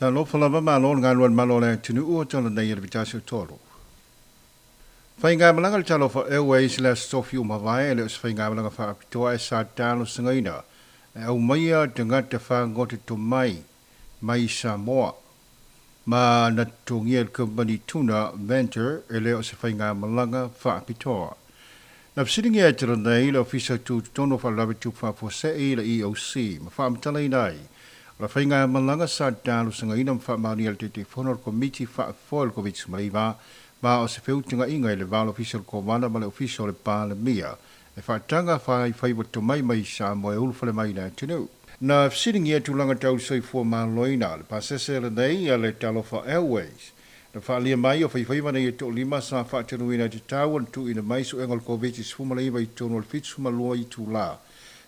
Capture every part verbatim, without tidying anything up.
Talofa lava malo le galua le malo le atunuu o talanei e le vitasi o tolu. Faigamalaga le Talofa Airways le aso tofi ua mavae e le o se faigamalaga faapitoa e sa talosagaina e aumaia tagata fagota tomai mai Samoa. Ma na totogia e le kamupani Tuna Venture e le o se faigamalaga faapitoa. Na fesiligia e talanei le Ofisa Tutotonu o Faalavelave Tutupu Faafuasei le E O C ma faamatalaina ai o le faigamalaga sa talosagaina ma faamaonia e le Taitaifono o le Komiti Faafoe o le Koviti sefuluiva ma o se feutagaiga i le va o le Ofisa o le Kovana ma le Ofisa o le Palemia e faataga faifaiva tomai mai Samoa e ulufale mai le atunuu. Na fesiligia tulaga tau soifua maloloina le pasese lenei a le Talofa Airways. Na faalia mai o faifaiva nei e toalima sa faatanuina i te tau ona tuuina mai suega o le Koviti sefuluiva i totonu o le fitu ma lua itula.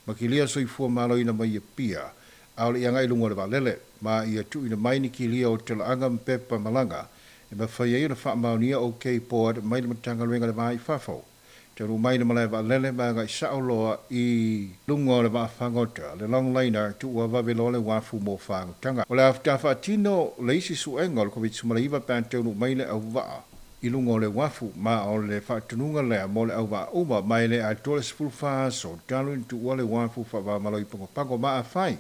Ma kilia soifua maloloina mai Apia, a o le iaga i luga o le vaalele, ma ia tuuina mai ni kilia o talaaga ma pepa malaga, e mafai ai ona faamaonia OK Board mai le Matagaluega le Va i Fafo. Talu mai le malae vaalele ma agai sao loa i luga o le vaafagota, le longliner tuua vave loa le uafu mo fagotaga. O le afuta faatino le isi suega o le Koviti sefuluiva pe a taunuu mai le auvaa i luga o le uafu, ma o le faatunuga lea mo le auvaa uma ma e le atoa le sefulufa aso talu ina tuua le uafu faavamalo i Pagopago ma afai.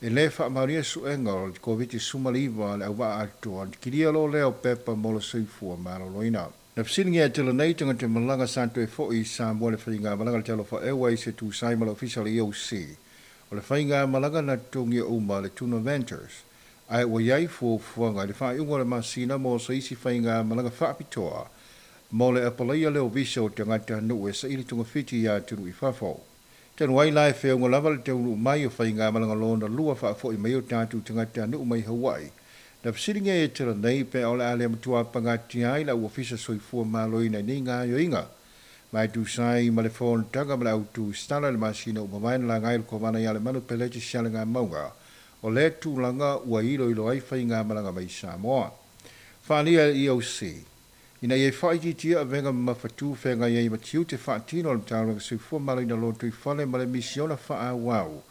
E le faamaonia suega o le Koviti sefuluiva le auvaa atoa, kilia loa lea o pepa mo le soifua maloloina. Na fesiligia e talanei tagata malaga sa toe foi i Samoa le faigamalaga le Talofa Airways e tusai ma le Ofisa o le E O C. O le faigamalaga na totogia uma le Tuna Ventures. Ae ua iai fuafuaga i le faaiuga o le masina mo se isi faigamalaga faapitoa mo le apalaia lea o visa o tagata nuu e saili togafiti ia atunuu i fafo. Talu ai la e feauga lava le taunuu mai o faigamalaga lona lua faafoi mai o tatou tagata nuu mai Hawaii. Na fesiligia e talanei pe o le a le matua pagatia ai lau Ofisa Soifua Maloloina i nei gaoioiga. Ma e tusai ma le fonotaga ma le autu stala le masina ua mavae na laga ai le Kovana ia Lemanu Peleti Sialegamauga. O le tulaga ua iloilo ai faigamalaga mai Samoa. Faalia e E O C. Ina ia faaitiitia avega mamafatu feagai ai ma tiute faatino o le Matagaluega Soifua Maloloina Lotoifale ma le misiona faaauau.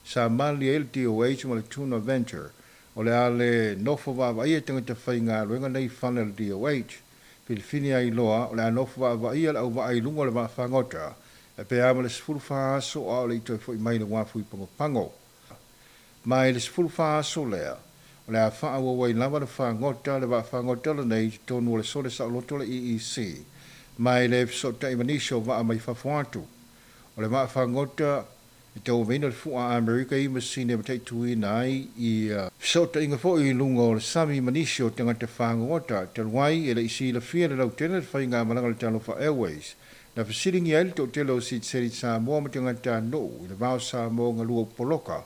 Sa malie ai le D O H ma le Tuna Venture. O le a le nofo vaavaai e tagata faigaluega nei fale o le D O H. Filifili ai loa o le a nofo vaavaai le auvaa i luga o le vaafagota. E pe a ma le sefulufa aso a o le i toe foi mai le uafu i Pagopago. Ma i le sefulufa aso lea, o le a faaauau ai lava le fagota le vaafagota lenei i totonu o le sole saoloto le E E C. Ma e le fesootai ma nisi o vaa mai fafo atu. O le vaafagota e tauaveina le fua Amerika i masini e mataituina ai i fesootaiga foi i luga o le sami ma nisi o tagata fagota talu ai e le i silafia le lautele le faigamalaga le Talofa Airways. Na fesiligia ai le toatele o sitiseni Samoa ma tagata nuu i le va o Samoa galua upoloka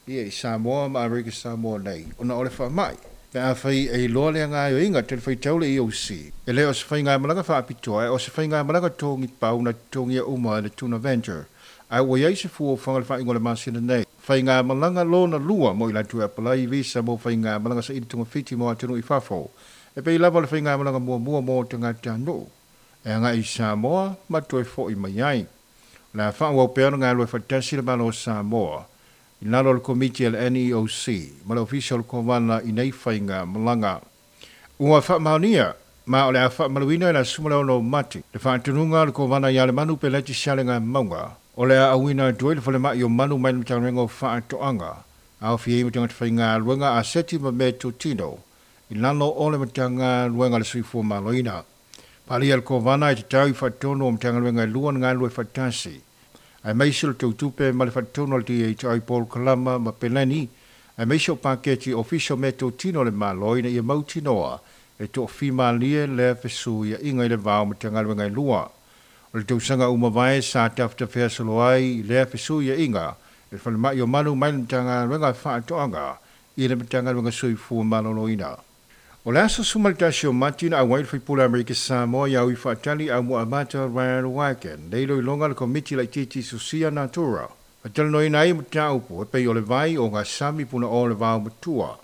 ia i Samoa ma Amerika Samoa nei ona o le faamai. Pe afai e iloa le gaoioiga tele faitau le E O C. E le o se faigamalaga faapitoa e o se faigamalaga togi pau na totogia uma e le Tuna Venture. Ae ua iai se fuafuaga le faaiuga o le masina nei. Faigamalaga lona lua mo i latou e apalai visa mo faigamalaga saili togafiti mo atunuu i fafo. E pei lava o le faigamalaga muamua mo tagata nuu. E agai i Samoa ma toe foi mai ai. O le a faaauau pea ona galue faatasi le Malo o Samoa i lalo o le Komiti a le N E O C ma le Ofisa o le Kovana i nei faigamalaga. Ua faamaonia ma o le a faamaluina i le aso sefulu ma le ono o Mati le faatunuga o le Kovana ia Lemanu Peleti Sialegamauga. O le a auina atu ai le falemai o manu mai le Matagaluega o Faatoaga. Aofia ai ma tagata faigaluega a seti ma meatotino i lalo o le Matagaluega o le Soifua Maloloina. Palia le Kovana e tatau i faatonu o Matagaluega e lua na galue faatasi. Aemaise o le tautupe ma le faatonu o le D H I Paul Kalama ma Peleni, aemaise o paketi ofisa o meatotino o le Malo ina ia mautinoa e toafimalie lea fesuiaiga i le va o Matagaluega e lua. O le tausaga uma vae sa tafetafea solo ai lea fesuiaiga e falemai o manu mai le Matagaluega Faatoaga i le Matagaluega Soifua Maloloina. O le aso sefulu ma le tasi o Mati na auai le faipule Amerika Samoa ia ui faatali au Muamata Ryan Wagon, nei iloiloga le Komiti Laitiiti Susia Natura. Fatalanoina ai mataupu e pei o le vai o ngā sami puna o le vao matua.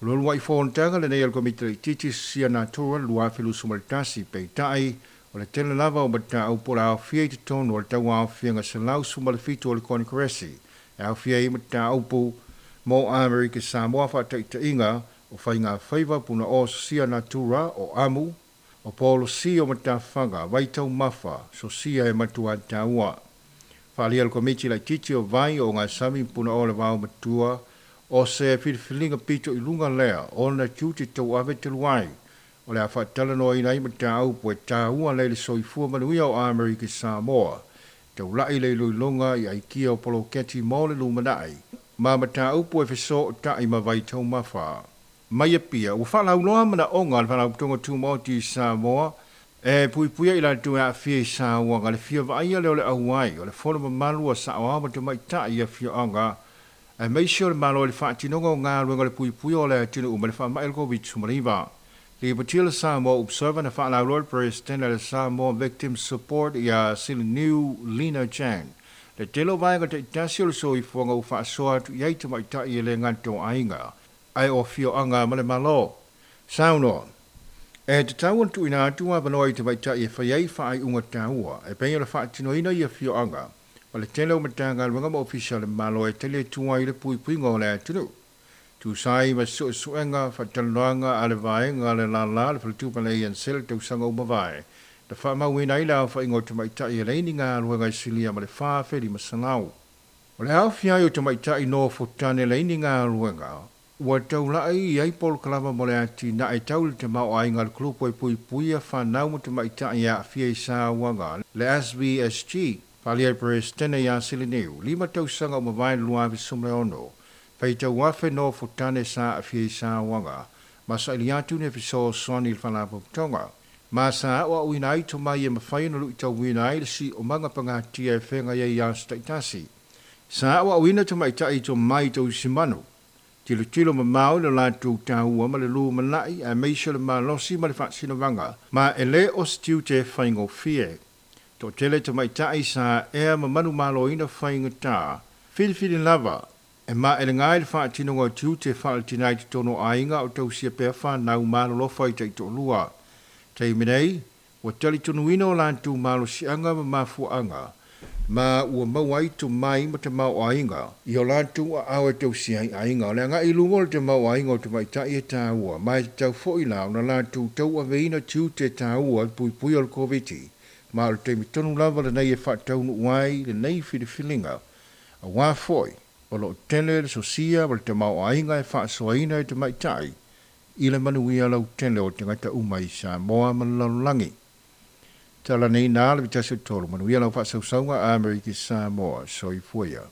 O le uluai fonotaga lenei a le Komiti Laitiiti Susia Natura lua afe luasefulu ma le tasi peitai o le tele lava o mataupu o le aofia i totonu o le tauaofiaga selau sefulu ma le fitu o le Konikeresi. E aofia ai mataupu mo Amerika Samoa faataitaiga O whainga whaiva puna o sosia natura o amu, o polosi o matawhanga, waitau mafa, sosia e matua taua. Whaalia le komiti lai titi o vai o ngā sami puna o le wao matua, o se whiliwhilinga pito i lunga lea, o na tiute tau ave te luai, o le a whaatalanoa ina i matau po e tāua le le soifua manuia o Amerika Samoa. Tau lai le iloiloga i aikia o poloketi mo le lumanai, ma mataupu e feso o tai ma vai taumafa. Mai Apia, ua faalauloa manaoga a le Faalapotopotoga Tumaoti i Samoa, e puipuia i latou e aafia i sauaga le fia vaaia lea o le auai, o le fono mamalu a saoao ma tamaitai i afioaga, aemaise o le Malo i le faatinoga o galuega o le puipuia o le atunuu ma le faamai o le Koviti-19. Lipotia le Samoa Observer na faalauloa le Peresetene le Samoa Victim Support ia Siliniu Lina Chan. Le tele o vaega taitasi o le soifuaga ua faasoa atu i ai tamaitai e le gata o aiga, ae o afioaga ma le Malo. Saunoa. E tatau ona tuuina atu avanoa i tamaitai e fai ai faaiuga taua, e pei o le faatinoina i afioaga, ma le tele o Matagaluega ma Ofisa o le Malo e tali atu ai i le puipuiga o le atunuu. Tusai ma suesuega faatalanoaga a le vaega le lala le faletupe le A N C le tausaga ua mavae. Na faamauina ai le aofaiga o tamaitai e leai ni galuega i silia ma le fa afe lima selau. O le aofia ai o tamaitai nofo tane leai ni galuega, ua taulai i ai polokalama mo le atinae tau i le tamaoaiga a le kulupu e puipuia whanau ma tamaitai e aafia i sauaga, le S V S G, Whalia Peresetene ia Siliniu, lima tausaga o mavae le lua afe sefulu ma le ono, faitau afe nofo tane sa aafia i sauaga, ma saili atu ni fesoasoani i le Faalapotopotoga. Ma sa aoaoina ai tomai e mafai ona luitauina ai le siomaga pagatia e feagai ai ia aso taitasi. Sa aoaoina tamaitai i tomai tausimanu, tilotilo mamao i le latou taua ma le lumanai aemaise o le malosi ma le faasinomaga, ma e le o se tiute e faigofie. Toatele tamaitai sa ea ma manumaloina faigata, filifili lava, e maelega ai le faatinoga o tiute faaletinai i totonu o aiga o tausia pea whanau malolofa i taitoalua. Taimi nei, ua talitonuina o latou malosiaga ma mafuaaga, ma ua maua ai tomai ma tamaoaiga i o latou aao e tausia ai aiga. O le agai i luga o le tamaoaiga o tamaitai e taua, ma e tatau foi la ona latou tauaveina tiute taua i le puipuia o le Koviti, ma o le taimi tonu lava lenei e faataunuu ai lenei filifiliga. Auā foi, o loo tele le sosia ma le tamaoaiga e faasoaina e tamaitai i le manuia lautele o tagata uma i Samoa ma le lalolagi. Tala nei nā le vitasi o tolu, manuia lau faasausauga Amerika Samoa, soifua ia.